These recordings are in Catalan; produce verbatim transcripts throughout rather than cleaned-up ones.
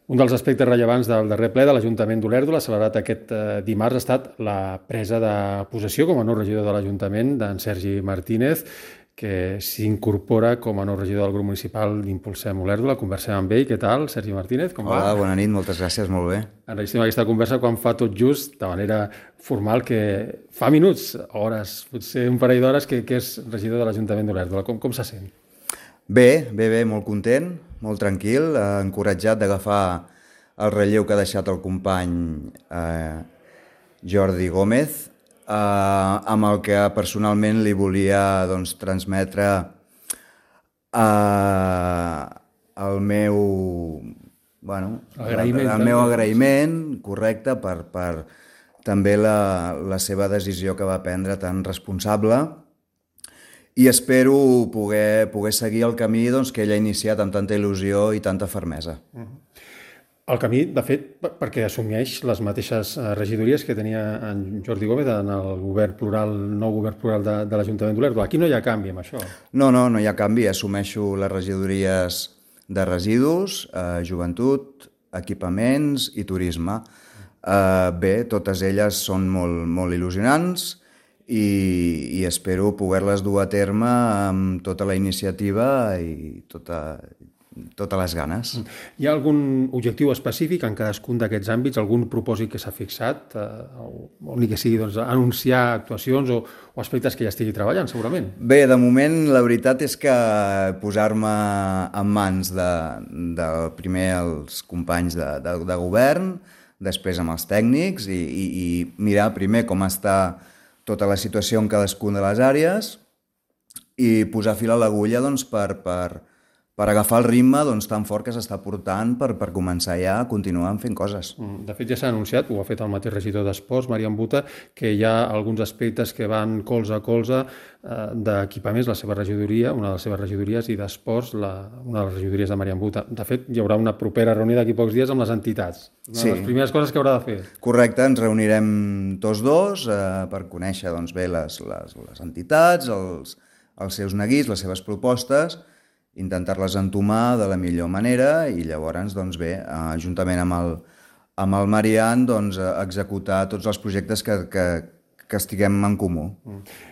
Un dels aspectes rellevants del darrer ple de l'Ajuntament d'Olèrdola, celebrat aquest eh, dimarts, ha estat la presa de possessió com a nou regidor de l'Ajuntament d'en Sergi Martínez, que s'incorpora com a nou regidor del grup municipal d'Impulsem Olèrdola. Conversem amb ell. Què tal, Sergi Martínez? Com va? Hola, bona nit, moltes gràcies, molt bé. Enregistram aquesta conversa quan fa tot just, de manera formal, que fa minuts, hores, potser un parell d'hores, que, que és regidor de l'Ajuntament d'Olèrdola. Com, com se sent? Bé, bé, bé, molt content, molt tranquil, eh, encoratjat d'agafar el relleu que ha deixat el company eh, Jordi Gómez, eh, amb el que personalment li volia doncs, transmetre eh, el meu, bueno, Agraïment, el, el meu agraïment, correcte, per, per també la, la seva decisió que va prendre tan responsable, i espero poder, poder seguir el camí doncs, que ell ha iniciat amb tanta il·lusió i tanta fermesa. El camí, de fet, perquè assumeix les mateixes regidories que tenia en Jordi Gómez en el govern plural, nou govern plural de, de l'Ajuntament d'Olèrdola. Aquí no hi ha canvi amb això. No, no, no hi ha canvi. Assumeixo les regidories de residus, eh, joventut, equipaments i turisme. Eh, bé, totes elles són molt, molt il·lusionants, i, i espero poder-les dur a terme amb tota la iniciativa i tota, totes les ganes. Hi ha algun objectiu específic en cadascun d'aquests àmbits, algun propòsit que s'ha fixat, eh, o ni que sigui doncs, anunciar actuacions o, o aspectes que ja estigui treballant, segurament? Bé, de moment la veritat és que posar-me en mans de, de primer els companys de, de, de govern, després amb els tècnics i, i, i mirar primer com està tota la situació en cadascuna de les àrees i posar fil a l'agulla doncs, per, per, per agafar el ritme doncs, tan fort que s'està portant per, per començar ja a continuar fent coses. De fet, ja s'ha anunciat, ho ha fet el mateix regidor d'Esports, Marian Buta, que hi ha alguns aspectes que van colze a colze eh, d'equipaments, la seva regidoria, una de les seves regidories, i d'Esports, la, una de les regidories de Marian Buta. De fet, hi haurà una propera reunió d'aquí pocs dies amb les entitats. Una sí. de les primeres coses que haurà de fer. Correcte, ens reunirem tots dos eh, per conèixer doncs, bé les, les, les entitats, els, els seus neguits, les seves propostes, intentar-les entomar de la millor manera i llavors, doncs bé, eh, juntament amb el, amb el Marian, doncs, executar tots els projectes que, que, que estiguem en comú.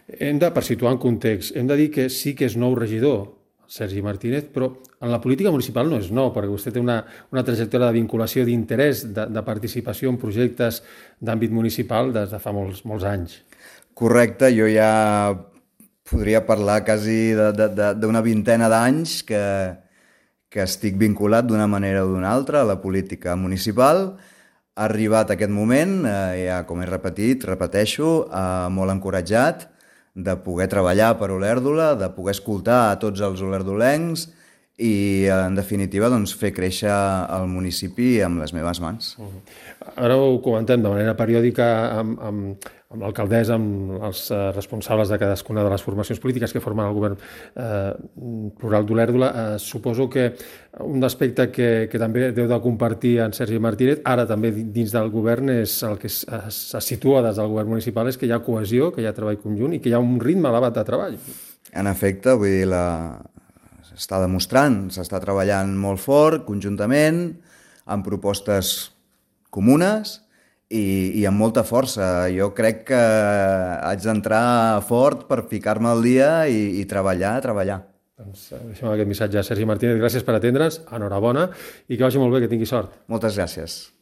Hem de, per situar en context, hem de dir que sí que és nou regidor, Sergi Martínez, però en la política municipal no és nou, perquè vostè té una, una trajectòria de vinculació, d'interès, de, de participació en projectes d'àmbit municipal des de fa molts, molts anys. Correcte, jo ja podria parlar quasi d'una vintena d'anys que, que estic vinculat d'una manera o d'una altra a la política municipal. Ha arribat aquest moment, eh, ja com he repetit, repeteixo, eh, molt encoratjat de poder treballar per Olèrdola, de poder escoltar a tots els olerdolencs i, en definitiva, doncs, fer créixer el municipi amb les meves mans. Uh-huh. Ara ho comentem de manera periòdica amb, amb, amb l'alcaldessa, amb els eh, responsables de cadascuna de les formacions polítiques que formen el govern eh, plural d'Olèrdola. Eh, suposo que un aspecte que, que també deu de compartir en Sergi Martínez, ara també dins del govern, és el que es, es, es situa des del govern municipal, és que hi ha cohesió, que hi ha treball conjunt i que hi ha un ritme elevat de treball. En efecte, vull dir, la... s'està demostrant, s'està treballant molt fort, conjuntament, amb propostes comunes i, i amb molta força. Jo crec que haig d'entrar fort per ficar-me al dia i, i treballar, treballar. Doncs deixem aquest missatge a Sergi Martínez. Gràcies per atendre'ns, enhorabona i que vagi molt bé, que tingui sort. Moltes gràcies.